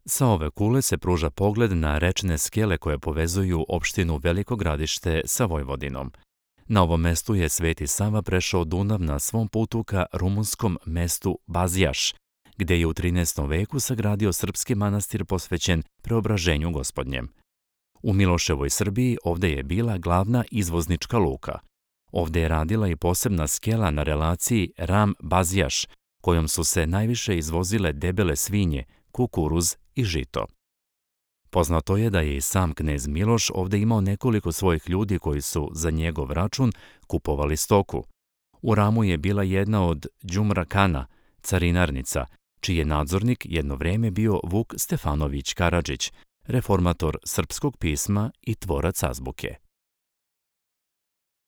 Sa ove kule se pruža pogled na rečne skele koje povezuju opštinu Veliko Gradište sa Vojvodinom. Na ovom mestu je Sveti Sava prešao Dunav na svom putu ka rumunskom mestu Bazijaš, gde je u 13. veku sagradio srpski manastir posvećen Preobraženju Gospodnjem. U Miloševoj Srbiji ovde je bila glavna izvoznička luka. Ovde je radila i posebna skela na relaciji Ram-Bazijaš, kojom su se najviše izvozile debele svinje, kukuruz i žito. Poznato je da je i sam knez Miloš ovde imao nekoliko svojih ljudi koji su za njegov račun kupovali stoku. U Ramu je bila jedna od Đumra Kana, carinarnica, čiji je nadzornik jedno vreme bio Vuk Stefanović Karadžić, reformator srpskog pisma i tvorac azbuke.